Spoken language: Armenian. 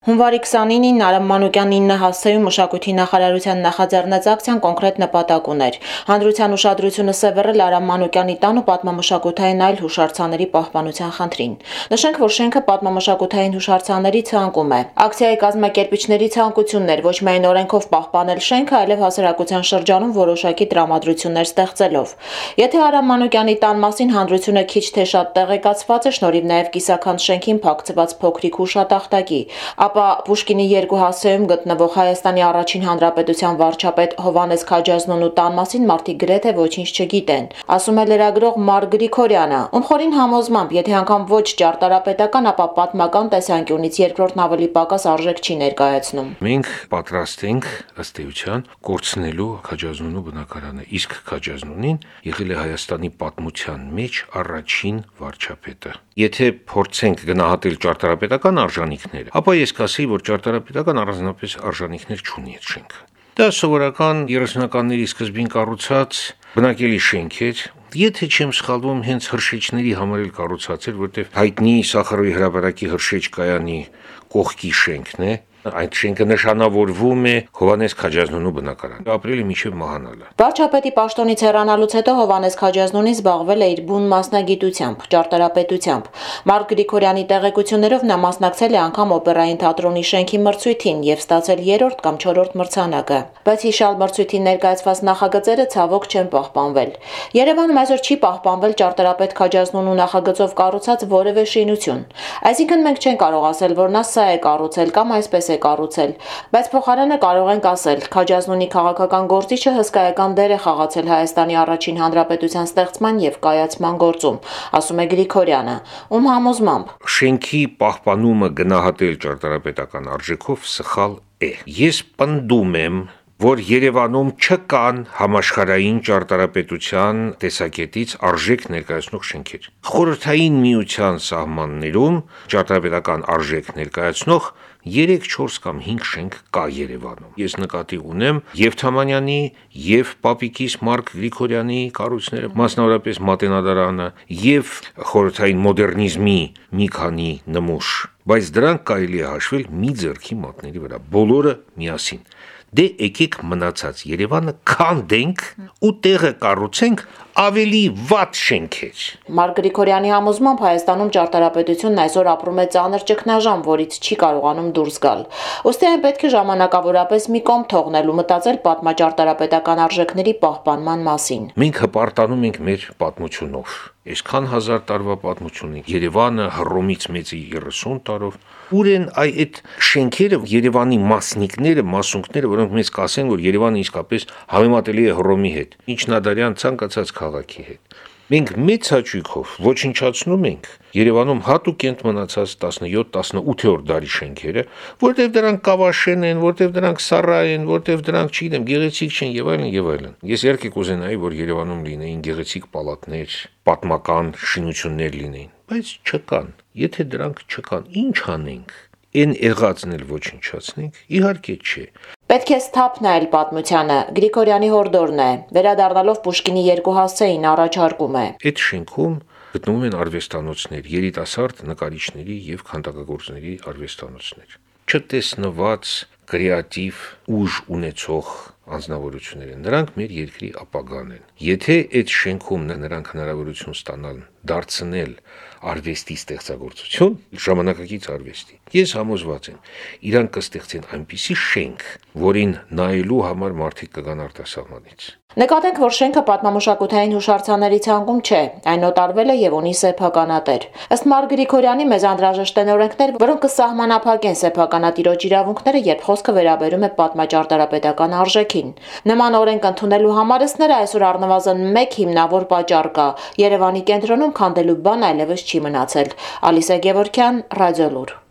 Հունվարի 29-ին Արամ Մանուկյան 9 հասցեում մշակույթի նախարարության նախաձեռնած ակցիան կոնկրետ նպատակ ուներ։ Հանրության ուշադրությունը սևեռել Արամ Մանուկյանի տան ու պատմամշակութային այլ հուշարձանների պահպանության խնդրին։ Նշենք, որ շենքը պատմամշակութային հուշարձանների ցանկում է։ Ակցիայի կազմակերպիչների ցանկությունն էր ոչ միայն օրենքով պահպանել շենքը, այլև հասարակության շրջանում որոշակի տրամադրություններ ստեղծելով։ Եթե Արամ Մանուկյանի տան մասին հանրությունը քիչ թե շատ տեղեկացված է շնորհիվ նաև կիսաքանդ շենքին փակցված փոքրիկ հուշատախտակի, ապա Պուշկինի 2 հասցեում գտնվող Հայաստանի առաջին հանրապետության վարչապետ Հովհաննես Քաջազնունու տան մասին մարդիկ գրեթե ոչինչ չգիտեն, ասում է լրագրող Մարկ Գրիգորյանը, ում խորին համոզմամբ, եթե անգամ ոչ ճարտարապետական, ապա պատմական տեսանկյունից երկրորդն ավելի պակաս արժեք չի ներկայացնում։ Մենք պատրաստ ենք ըստ էության կորցնելու Քաջազնունու բնակարանը, իսկ Քաջազնունին եղել է Հայաստանի պատմության մեջ առաջին վարչապետը։ Եթե փորձենք գնահատել ճարտարապետական արժանինքները, ապա ես կասեի, որ ճարտարապետական առանձնապես արժանինքներ չունի այդ շենքը։ Դա սովորական 30-ականների սկզբին կառուցած բնակելի շենք էր, եթե չեմ սխալվում, հենց հրշեջների համար էլ կառուցած էր, որտեղ հայտնի Սախարովի հրապարակի հրշեջ կայանի կողքի շենքն է, այդ շենքը նշանավորվում է Հովհաննես Քաջազնունու բնակարանը, ապրել է մինչև մահանալը։ Վարչապետի պաշտոնից հեռանալուց հետո Հովհաննես Քաջազնունին զբաղվել է իր բուն մասնագիտությամբ, ճարտարապետությամբ։ Մարկ Գրիգորյանի տեղեկություններով նա մասնակցել է անգամ օպերային թատրոնի շենքի մրցույթին եւ ստացել 3-րդ կամ 4-րդ մրցանակը։ Բայց հիշալ մրցույթին ներկայացված նախագծերը ցավոք չեն պահպանվել։ Երևանում այսօր չի պահպանվել ճարտարապետ Քաջազնունու նախագծով կառուցած որևէ շինություն։ Այսինքն մենք չենք կարող ասել, որ նա սա է կառուցել կամ այսպես է կառուցել, բայց փոխարենը կարող ենք ասել, Քաջազնունի քաղաքական գործիչը հսկայական դեր է խաղացել Հայաստանի առաջին հանրապետության ստեղծման եւ կայացման գործում, ասում է Գրիգորյանը, ում համոզմամբ շենքի պահպանումը գնահատել ճարտարապետական արժեքով սխալ է։ Ես պնդում եմ, որ Երևանում չկան համաշխարհային ճարտարապետության տեսակետից արժեք ներկայացնող շենքեր։ Խորհրդային միության սահմաններում ճարտարապետական արժեք ներկայացնող 3-4 կամ 5 շենք կա Երևանում։ Ես նկատի ունեմ եւ Թամանյանի, եւ Պապիկիս Մարկ Գրիգորյանի կառույցները, մասնավորապես Մատենադարանը, եւ խորհրդային մոդեռնիզմի մի քանի նմուշ, բայց դրանք կարելի է հաշվել մի ձեռքի մատների վրա, բոլորը միասին։ Դե եկեք մնացած Երևանը քանդենք ու տեղը կառուցենք ավելի վատ շենքեր։ Մարկ Գրիգորյանի համոզմամբ Հայաստանում ճարտարապետությունն այսօր ապրում է ծանր ճգնաժամ, որից չի կարողանում դուրս գալ։ Ոստի այն պետք է ժամանակավորապես մի կողմ թողնել ու մտածել պատմաճարտարապետական արժեքների պահպանման մասին։ Մենք հպարտանում ենք մեր պատմությունով։ Այսքան հազար տարվա պատմություն ունի Երևանը Հռոմից մեծի 30 տարով։ Ուր են այդ շենքերը, Երևանի մասնիկները, մասունքները, որոնք մեզ կասեն, որ Երևանը իսկապես համեմատելի է Հռոմի հետ, միջնադարյան ցանկացած քաղաքի հետ։ Մենք մեծ հաճույքով ոչնչացնում ենք Երևանում հատուկենտ մնացած 17-18-րդ դարի շենքերը, որտեղ դրանք կավաշեն են, որտեղ դրանք սառա են, որտեղ դրանք չգիտեմ, գեղեցիկ չեն եւ այլն եւ այլն։ Ես իհարկե կուզենայի, որ Երևանում լինեին գեղեցիկ պալատներ, պատմական շինություններ լինեին, բայց չկան։ Եթե դրանք չկան, ինչ անենք։ Այն եղածն էլ ոչնչացնենք, իհարկե չէ։ Պետք է սթափ նայել պատմությանը, Գրիգորյանի հորդորն է, վերադառնալով Պուշկինի 2 հասցեին առաջարկում է։ Այդ շենքում գտնվում են արվեստանոցներ, երիտասարդ նկարիչների եւ քանդակագործների արվեստանոցներ։ Չտեսնված կրեատիվ ուժ ունեցող անձնավորություններ են, նրանք մեր երկրի ապագան են։ Եթե այդ շենքում նրանք հնարավորություն ստանան դարձնել արվեստի ստեղծագործություն, ժամանակակից արվեստի, ես համոզված եմ, իրանք կստեղծեն այնպիսի շենք, որին նայելու համար մարդիկ կգան արտասահմանից։ Նկատենք, որ շենքը պատմամշակութային հուշարձանների ցանկում չէ, այն օտարվել է եւ ունի սեփականատեր։ Ըստ Մարկ Գրիգորյանի մեզ անհրաժեշտ են օրենքներ, որոնք կսահմանափակեն սեփականատիրոջ իրավունքները, երբ խոսքը վերաբերում է պատմաճարտարապետական արժեքին։ Նման օրենք ընդունելու համար ըստ այսօր առնվազն մեկ հիմնավոր պատճառ կա՝ Երևանի կենտրոնում քանդելու բան այլևս չի մնացել։ Ալիսա Գևորգյան, Ռադիոլուր։